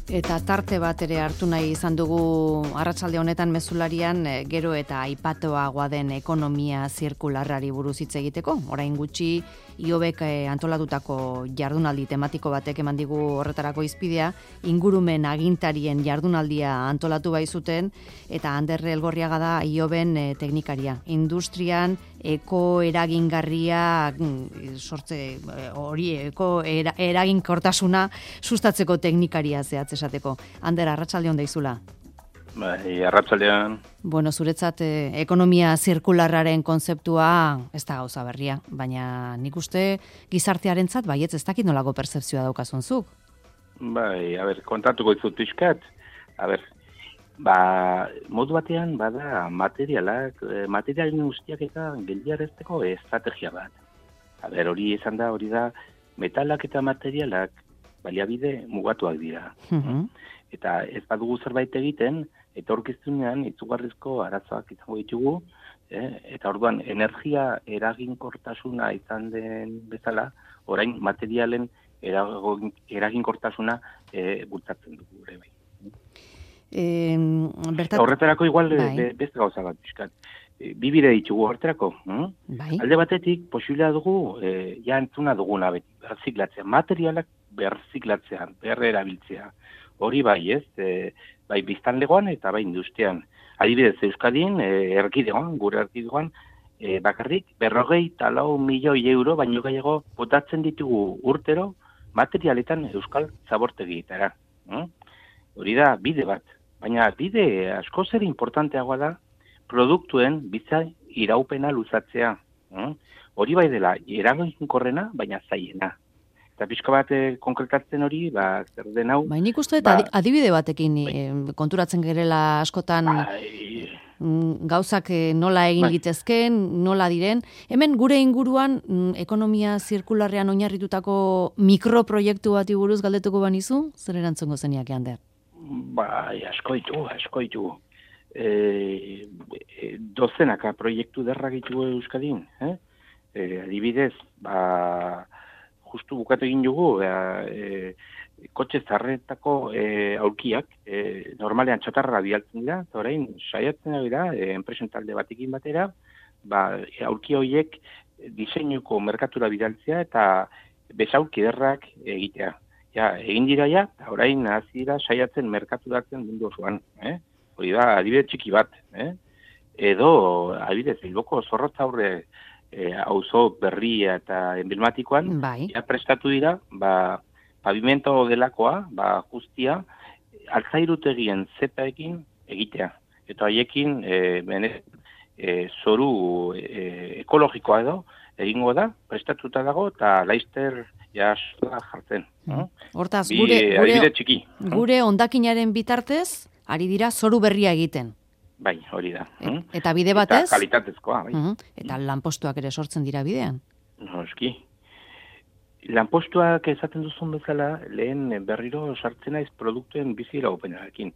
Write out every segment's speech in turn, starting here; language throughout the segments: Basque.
Eta tarte bat ere hartu nahi izan dugu arratsalde honetan mezularian gero eta aipatoagoa den ekonomia zirkularrari buruz hitz egiteko. Orain gutxi Iobek antolatutako jardunaldi tematiko batek eman digu horretarako izpidea, ingurumen agintarien jardunaldia antolatu bai zuten eta Ander Elgorriaga da Ioben teknikaria. Industrian eragingarria sortze hori eraginkortasuna sustatzeko teknikaria zehatz esateko. Ander, arratsalde on daizula. Bai, arratsaldean. Bueno, zuretzat ekonomia zirkularraren kontzeptua ez da gauza berria, baina nik uste gizartearentzat baietz ez dakit nolako pertzepzioa daukazun zuk. Bai, kontatuko dizut pixkat. Modu batean bada materialen guztiak eta geldiarazteko estrategia bat. Hori izan da, hori da, metalak eta materialak baliabide mugatuak dira. Eta ez badugu zerbait egiten, etorkizunean izugarrizko arazoak izango ditugu, eta orduan energia eraginkortasuna izan den bezala, orain materialen eraginkortasuna bultzatzen dugu ere bai. Horretarako igual beste gauza bat pixkat. Bi bide ditugu horretarako. Alde batetik, posibilea dugu, entzuna duguna beti, berziklatzea. Materialak berziklatzea, berrerabiltzea. Hori bai, bai biztanlegoan eta bai industrian. Adibidez, Euskadin, gure erkidegoan, bakarrik 54 milioi euro, baino gehiago botatzen ditugu urtero materialetan euskal zabortegietara. Hori da bide bat. Baina bide asko zer importanteagoa da produktuen bizitza iraupena luzatzea. Hori bai dela eraginkorrena, baina zailena. Eta pixka bat konkretatzen hori, zer den hau... Nik uste eta adibide batekin konturatzen gerela askotan gauzak nola egin litezken, nola diren. Hemen gure inguruan ekonomia zirkularrean oinarritutako mikroproiektu bati buruz galdetuko banizu? Zer erantzungo zeniak, Ander? Bai, asko ditugu. Dozenaka proiektu derrak ditugu Euskadin. Adibidez, justu bukatu egin dugu, kotxe zarretako aulkiak, normalean txatarra bialtzen dira, eta orain saiatzen dira, enpresen talde batekin batera, aulki horiek diseinuko merkatura bidaltzea eta besaulki derrak egitea. Egin dira eta orain hasi dira saiatzen merkaturatzen mundu osoan. Hori da, adibide txiki bat. Edo, adibidez, Bilboko Zorrotza aurre auzo berria eta emblematikoan, prestatu dira, pavimento delakoa, guztia, altzairutegien zepaekin egitea. Eta haiekin, zoru ekologikoa edo, egingo da, prestatuta dago, eta laizter jartzen. Hortaz, gure hondakinaren bitartez, ari dira zoru berria egiten. Bai, hori da. Eta bide batez? Eta kalitatezkoa, bai. Eta lanpostuak ere sortzen dira bidean? Noski. Lanpostuak esaten duzun bezala, lehen berriro sartzen naiz produktuen bizi iraupenarekin.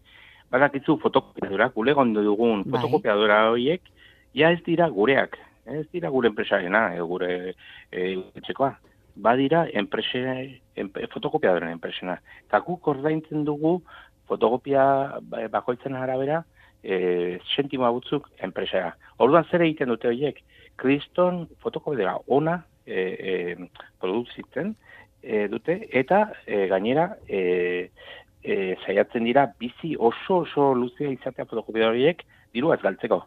Badakitzu fotokopiadora, gure gondo dugun fotokopiadora horiek, ez dira gureak, ez dira gure enpresarena, gure etxekoa. Badira fotokopiadoren enpresena. Eta guk ordaintzen dugu fotokopia bakoitzen arabera, sentimoa butzuk enpresara. Orduan zer egiten dute horiek? Kriston fotokopiadora ona produzitzen dute eta gainera saiatzen dira bizi oso luzea izatea fotokopiadora horiek dirua ez galtzeko.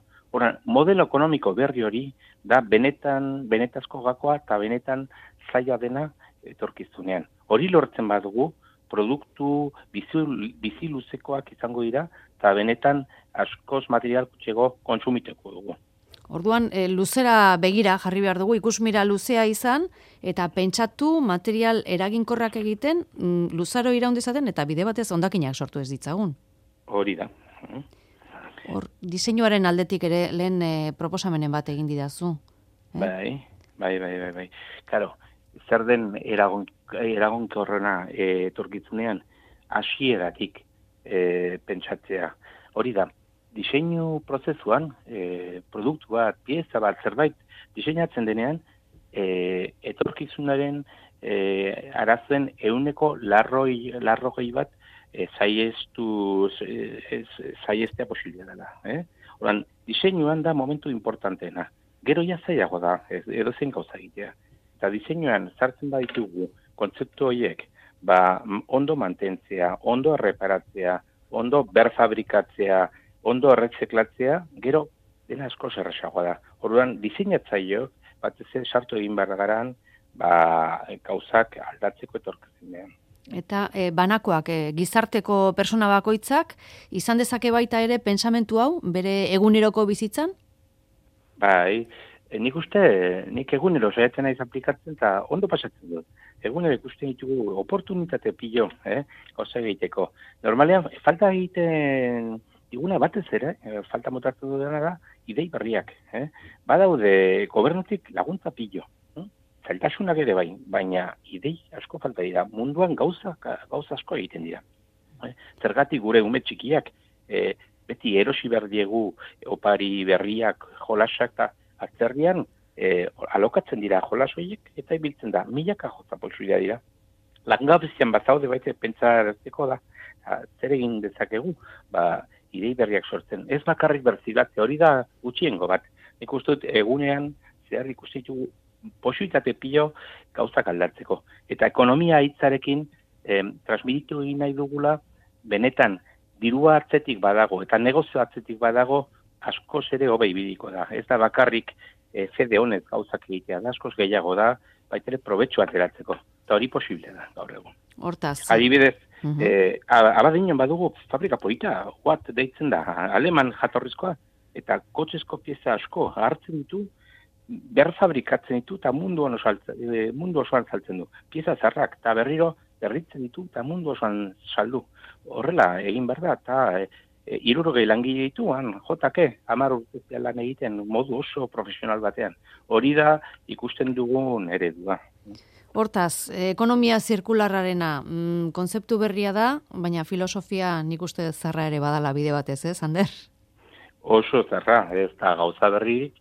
Modelo ekonomiko berri hori da benetazko gakoa eta benetan zaila dena etorkizunean. Hori lortzen badugu, produktu bizi luzekoak izango dira, eta benetan askoz material kutxego kontsumiteko dugu. Orduan, luzera begira jarri behar dugu, ikusmira luzea izan, eta pentsatu material eraginkorrak egiten, luzaro iraundizaten, eta bide batez hondakinak sortu ez ditzagun. Hori da. Diseinuaren aldetik ere lehen proposamenen bat egin didazu. Bai. Karo, zer den eragonkorrena etorkitzunean hasieratik pentsatzea. Hori da, diseinu prozesuan produktu bat, pieza bat, zerbait diseinatzen denean etorkizunaren arazoen 100 larrogei bat zaiestea posibilea dela. Horan, diseinuan da momentu importanteena. Gero ja zailago da, edozein gauza egitea. Eta diseinuan sartzen baditugu kontzeptu horiek, ondo mantentzea, ondo erreparatzea, ondo berfabrikatzea, ondo erretzeklatzea, gero dena asko zerraxagoa da. Orduan, diseinatzaio, batez sartu egin behar garan, gauzak aldatzeko etorkizunean. Eta banakoak, gizarteko persona bakoitzak, izan dezake baita ere pentsamentu hau, bere eguneroko bizitzan? Bai, nik egunero saiatzen naiz aplikatzen eta ondo pasatzen dut. Egunero ikusten ditugu oportunitate pilo, gauza egiteko. Normalean, falta egiten diguna batez ere, falta motartu dudana da, idei berriak. Badaude gobernutik laguntza pilo. Zailtasunak ere baina idei asko falta dira. Munduan gauza asko egiten dira. Zergatik gure ume txikiak, beti erosi behar diegu opari berriak, jolasak eta atzerrian alokatzen dira jolas horiek eta ibiltzen da. Milaka jota posibilitatea dira. Langabezian bazaude baita pentsatzeko da. Zer egin dezakegu? Idei berriak sortzen. Ez bakarrik berzilatzea, hori da gutxiengo bat. Nik uste dut egunean zehar ikusten ditugu posibilitate pilo gauzak aldatzeko. Eta ekonomia hitzarekin transmititu egin nahi dugula, benetan dirua atzetik badago eta negozio atzetik badago askoz ere hobe ibiliko da. Ez da bakarrik fede honez gauzak egitea da, askoz gehiago da, baitere probetxu ateratzeko. Eta hori posible da, gaur egun. Hortaz. Adibidez, abadinon badugu fabrika polita, Watt deitzen da, aleman jatorrizkoa, eta kotxezko pieza asko hartzen ditu, berfabrikatzen ditu eta mundu osoan saltzen du. Pieza zarrak eta berriro berritzen ditu eta mundu osoan saldu. Horrela egin behar da eta 60 langile dituan, jotake, 10 urte lan egiten modu oso profesional batean. Hori da ikusten dugun eredua. Hortaz, ekonomia zirkularrarena konzeptu berria da, baina filosofia nik uste zarra ere badala bide batez, Ander? Oso zarra, ez da gauza berririk,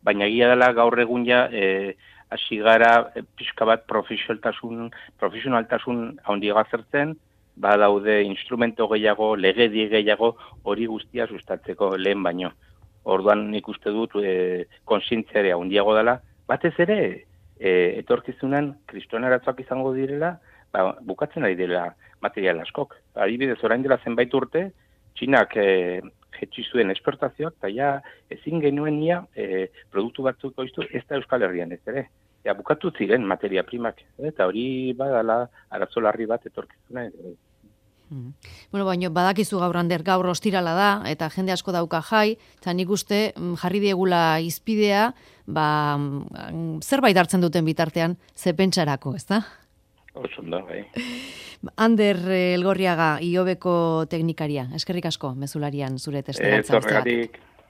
baina egia dela gaur egun ja hasi gara pixka bat profesionaltasun handiagoa zertzen, badaude instrumento gehiago, legedi gehiago, hori guztia sustatzeko lehen baino. Orduan nik uste dut kontzientzia ere handiago dela, batez ere etorkizunan kristoen arazoak izango direla, bukatzen ari dela material askok. Adibidez, orain dela zenbait urte, Txinak jetxi zuen esportazioak, eta ja ezin genuen produktu batzuko iztu, ez da Euskal Herrian ez ere. Bukatu ziren materia primak, eta hori badala arazo larri bat etorkizuna. Bueno, baina badakizu gaur Ander, gaur ostirala da, eta jende asko dauka jai, eta nik uste jarri diegula izpidea, zerbait hartzen duten bitartean, ze pentsarako, ez da? Osondo, bai. Ander Elgorriaga, IOBeko teknikaria, eskerrik asko, mezularian zure testeratza. Zorregatik.